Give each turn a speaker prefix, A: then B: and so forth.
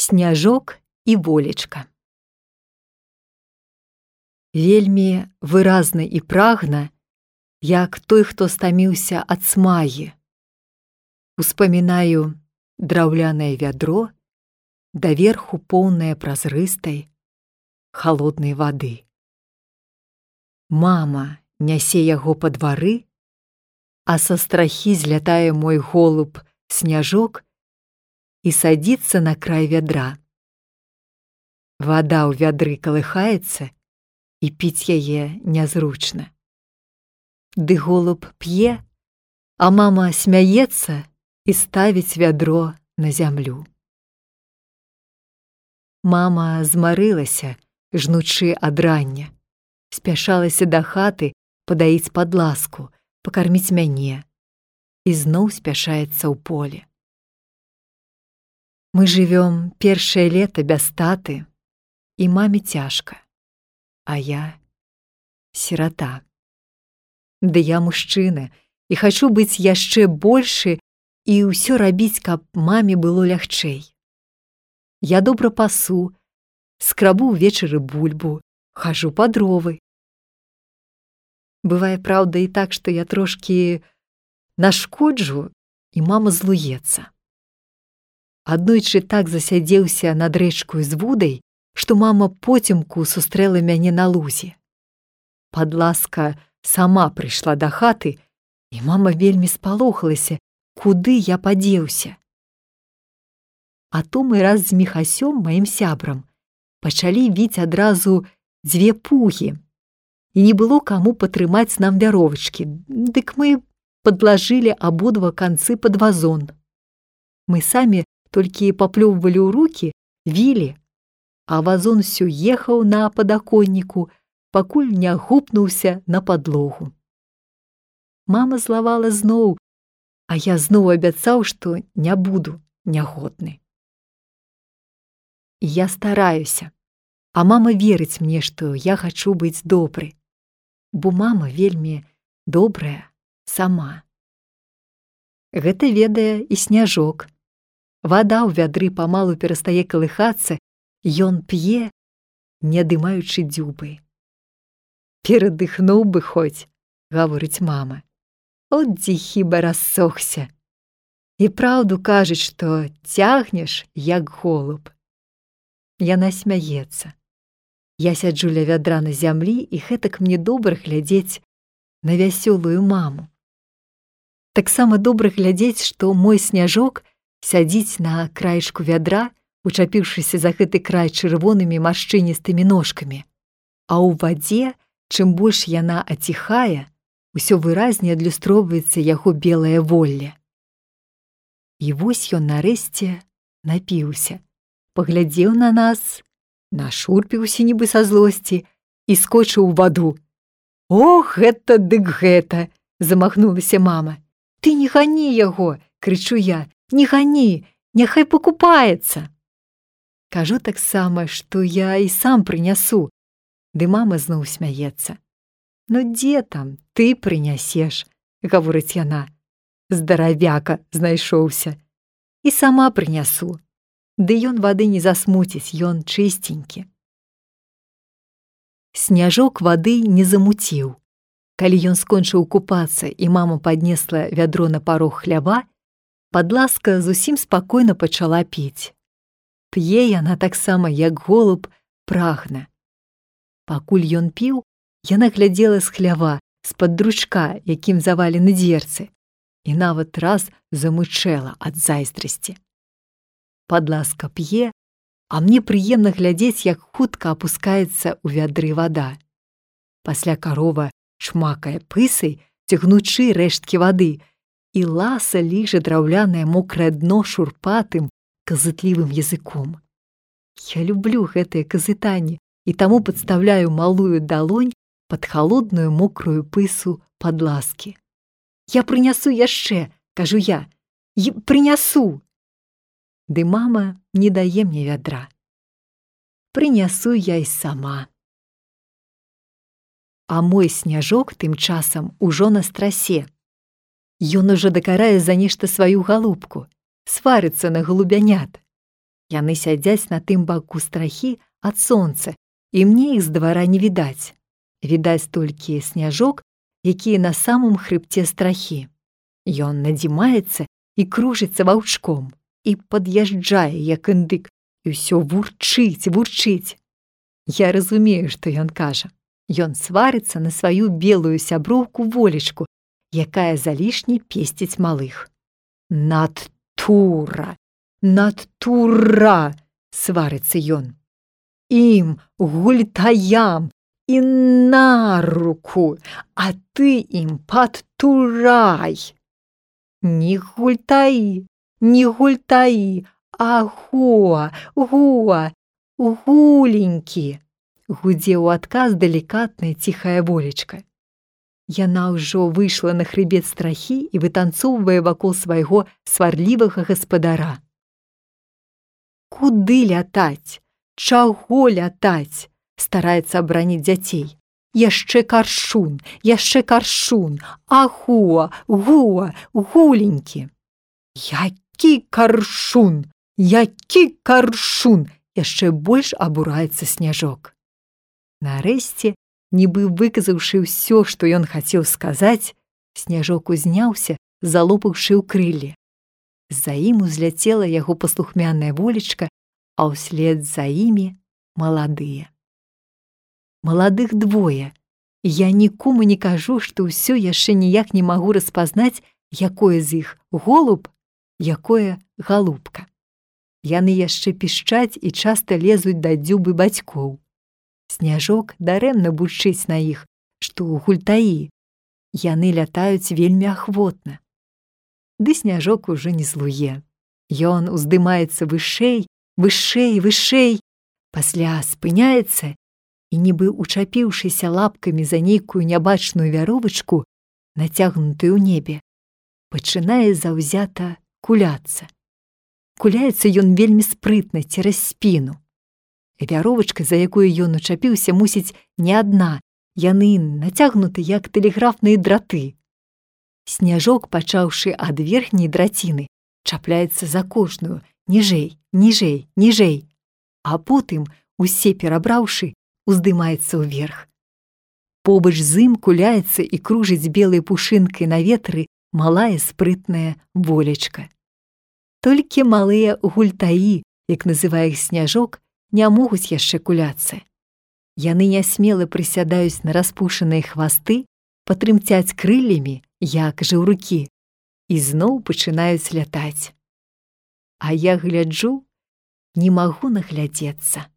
A: Сняжок і волечка. Вельмі выразна і прагна, як той, хто стаміўся ад смагі. Успамінаю драўлянае вядро, даверху поўнае празрыстай, халоднай вады. Мама нясе яго па двары, а са страхі злятае мой голуб Сняжок і садзіцца на край вядра. Вада ў вядры калыхаецца, і піць яе нязручна. Ды голуб п'е, а мама смяецца і ставіць вядро на зямлю. Мама змарылася, жнучы ад рання, спяшалася да хаты падаіць падласку, пакарміць мяне, і зноў спяшаецца ў поле. Мы жывём першае лета без таты, і маме цяжка, а я сірата. Ды я мужчына, і хачу быць яшчэ большы і ўсё рабіць, каб маме было лягчэй. Я добра пасу, скрабу ўвечары бульбу, хажу па дровы. Бывае, праўда, і так, што я трошкі нашкоджу, і мама злуецца. Аднойчы так засядзеўся над рэчкаю з вудай, што мама поцемку сустрэла мяне на лузе. Падласка сама прыйшла да хаты, і мама вельмі спалохалася, куды я падзеўся. А то мы раз з Міхасём, маім сябрам, пачалі віць адразу 2 пугі, і не было каму патрымаць нам вяровачкі, дык мы падлажылі абодва канцы пад вазон. Мы самі толькі паплёввалі ў рукі, вілі, а вазон усё ехаў на падаконніку, пакуль не гупнуўся на падлогу. Мама злавала зноў, а я зноў абяцаў, што не буду нягодны. Я стараюся, а мама верыць мне, што я хачу быць добры, бо мама вельмі добрая сама. Гэта ведае і Сняжок. Вада ў вядры памалу перастае калыхацца, ён п'е, не адымаючы дзюбы. «Перадыхнуў бы хоць», — гаворыць мама. «От дзе хіба рассохся. І праўду кажуць, што цягнеш, як голуб». Яна смяецца. Я сяджу ля вядра на зямлі, і гэтак мне добра глядзець на вясёлую маму. Таксама добра глядзець, што мой Сняжок сядзіць на краечку вядра, учапіўшыся за гэты край чырвонымі маршчыністымі ножкамі. А ў вадзе, чым больш яна аціхае, усё выразней адлюстроўваецца яго белае волле. І вось ён нарэшце напіўся, паглядзеў на нас, нашурпіўся нібы са злосці і скочыў у ваду. «Ох, гэта дык гэта!» – замахнулася мама. «Ты не гані яго!» – крычу я. «Не гані! Няхай пакупаецца!» Кажу таксама, што я і сам прынясу. Ды мама зноў смяецца. «Ну дзе там, ты прынясеш?» – гаворыць яна. «Здаравяка знайшоўся. І сама прынясу. Ды ён вады не засмуціць, ён чыстенькі». Сняжок вады не замуціў. Калі ён скончыў купацца і мама паднесла вядро на парог хлява, падласка зусім спакойна пачала піць. П'е яна таксама, як голуб, прагна. Пакуль ён піў, яна глядзела з хлява, з-пад дручка, якім завалены дзверцы, і нават раз замычэла ад зайздрасці. Падласка п'е, а мне прыемна глядзець, як хутка апускаецца ў вядры вада. Пасля карова чмакае пысай, цягнучы рэшткі вады, і ласа ліжа драўлянае мокрае дно шурпатым, казытлівым языком. Я люблю гэтае казытанне і таму падстаўляю малую далонь пад халодную мокрую пысу падласкі. «Я прынясу яшчэ», – кажу я, «прынясу». Ды мама не дае мне вядра. Прынясу я й сама. А мой Сняжок тым часам ужо на страсе. Ён ужо дакарае за нешта сваю галубку, сварыцца на галубянят. Яны сядзяць на тым баку страхі ад сонца, і мне іх з двара не відаць. Відаць толькі сняжок, які на самым хрыбце страхі. Ён надзімаецца і кружыцца ваўчком, і пад'язджае, як індык, і ўсё вурчыць. Я разумею, што ён кажа. Ён сварыцца на сваю белую сяброўку Волечку, якая залішне песціць малых. Натура, сварыцца ён. Ім, гультаям, і на руку, а ты ім падтурай. Не гультаі, а гуленькі, гудзе ў адказ далікатная ціхая Волечка. Яна ўжо выйшла на хрыбет страхі і вытанцоўвае вакол свайго сварлівага гаспадара. Куды лятаць? Чаго лятаць? Стараецца абараніць дзяцей. Яшчэ каршун, гуленькі. Які каршун, яшчэ больш абураецца Сняжок. Нарэшце, нібы выказаўшы ўсё, што ён хацеў сказаць, Сняжок узняўся, залопаўшы ў крылле. За ім узляцела яго паслухмяная Волечка, а ўслед за імі маладыя. Маладых двое. Я нікому не кажу, што ўсё яшчэ ніяк не магу распазнаць, якое з іх голуб, якое галубка. Яны яшчэ пішчаць і часта лезуць да дзюбы бацькоў. Сняжок дарэмна бурчыць на іх, што гультаі. Яны лятаюць вельмі ахвотна. Ды Сняжок ужо не злуе. Ён уздымаецца вышэй, пасля спыняецца і, нібы учапіўшыся лапкамі за нейкую нябачную вяровачку, нацягнутую ў небе, пачынае заўзята куляцца. Куляецца ён вельмі спрытна цераз спіну. Вяровачка, за якую ён учапіўся, мусіць, не адна, яны нацягнуты, як тэлеграфныя драты. Сняжок, пачаўшы ад верхняй драціны, чапляецца за кожную, ніжэй, а потым, усе перабраўшы, уздымаецца ўверх. Побач з ім куляецца і кружыць белай пушынкай на ветры малая спрытная Волечка. Толькі малыя гультаі, як называе іх Сняжок, не могуць яшчэ куляцца. Яны нясмела прысядаюць на распушаныя хвасты, патрымцяць крыллямі, як жаўрукі, і зноў пачынаюць лятаць. А я гляджу, не магу наглядзецца.